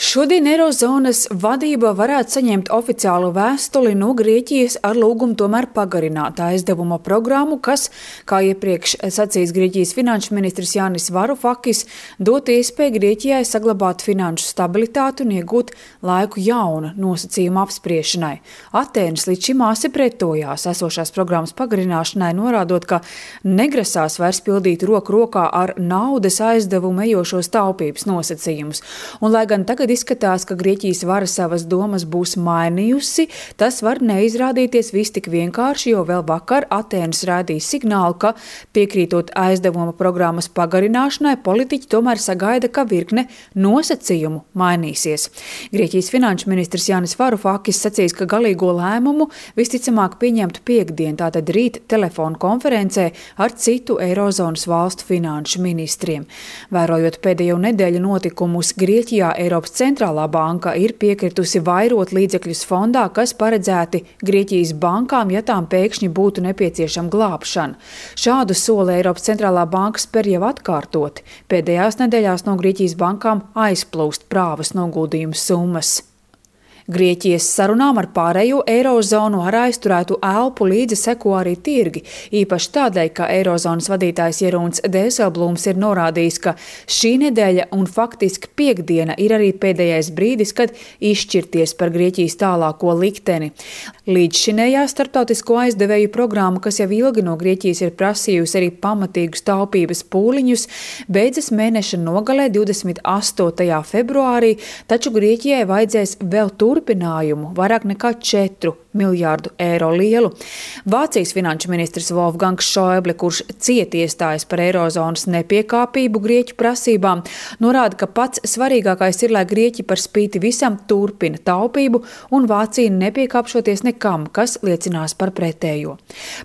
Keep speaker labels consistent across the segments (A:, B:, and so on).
A: Šodien Eirozonas vadība varētu saņemt oficiālu vēstuli no Grieķijas ar lūgumu tomēr pagarināt aizdevuma programmu, kas, kā iepriekš sacījis Grieķijas finanšu ministrs Jānis Varufakis, dot iespēju Grieķijai saglabāt finanšu stabilitāti un iegūt laiku jauna nosacījuma apspriešanai. Atēnas līdz šim asi pretojās esošās programmas pagarināšanai, norādot, ka negrasās vairs pildīt roku rokā ar naudas aizdevumu ejošos taupības nosacījumus. Un, lai gan tagad izskatās, ka Grieķijas vara savas domas būs mainījusi, tas var neizrādīties viss tik vienkārši, jo vēl vakar Atēnas rādīja signālu, ka piekrītot aizdevuma programmas pagarināšanai, politiķi tomēr sagaida, ka virkne nosacījumu mainīsies. Grieķijas finanšu ministrs Jānis Varufakis sacīs, ka galīgo lēmumu visticamāk pieņemtu piektdien, tātad rīt telefonu konferencē ar citu Eirozonas valstu finanšu ministriem. Vērojot pēdējo nedēļu notikumus Grieķijā, Eiropas centrālā banka ir piekritusi vairot līdzekļus fondā, kas paredzēti Grieķijas bankām, ja tām pēkšņi būtu nepieciešama glābšana. Šādu soli Eiropas centrālā banka spēr jau atkārtoti. Pēdējās nedēļās no Grieķijas bankām aizplūst prāvas noguldījumu summas. Grieķijas sarunām ar pārējo Eirozonu ar aizturētu elpu līdzi seko arī tirgi, īpaši tādēļ, ka Eirozonas vadītājs Jeroens Dijsselbloems ir norādījis, ka šī nedēļa un faktiski piektdiena ir arī pēdējais brīdis, kad izšķirties par Grieķijas tālāko likteni. Līdzšinējā starptautisko aizdevēju programma, kas jau ilgi no Grieķijas ir prasījusi arī pamatīgus taupības pūliņus, beidzas mēneša nogalē 28. februārī, taču Grieķijai vajadzēs vēl turpinājumu vairāk nekā 4 miljārdu eiro lielu. Vācijas finanšu ministrs Wolfgangs Schäuble, kurš cieti iestājas par Eirozonas nepiekāpību Grieķu prasībām, norāda, ka pats svarīgākais ir, lai Grieķi par spīti visam turpina taupību un Vācija nepiekāpšoties nekam, kas liecinās par pretējo.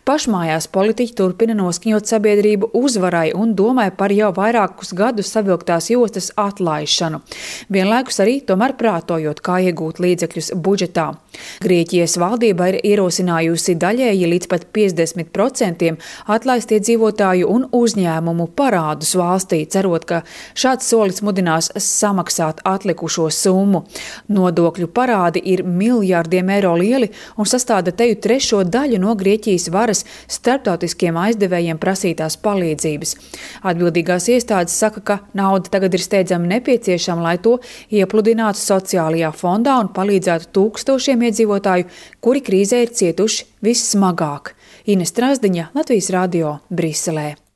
A: Pašmājās politiķi turpina noskaņot sabiedrību uzvarai un domāja par jau vairākus gadus savilktās jostas atlaišanu. Vienlaikus arī tomēr prātojot, kā iegūt līdzekļus budžetā. Grieķijas valdība ir ierosinājusi daļēji līdz pat 50% atlaist iedzīvotāju un uzņēmumu parādus valstī, cerot, ka šāds solis mudinās samaksāt atlikušo summu. Nodokļu parādi ir miljārdiem eiro lieli un sastāda teju 3. daļu no Grieķijas varas starptautiskiem aizdevējiem prasītās palīdzības. Atbildīgās iestādes saka, ka nauda tagad ir steidzami nepieciešama, lai to iepludinātu sociālajā fondā un palīdzētu tūkstošiem iedzīvotāju, kuri krīzē ir cietuši vissmagāk. Ines Strazdiņa, Latvijas radio, Briselē.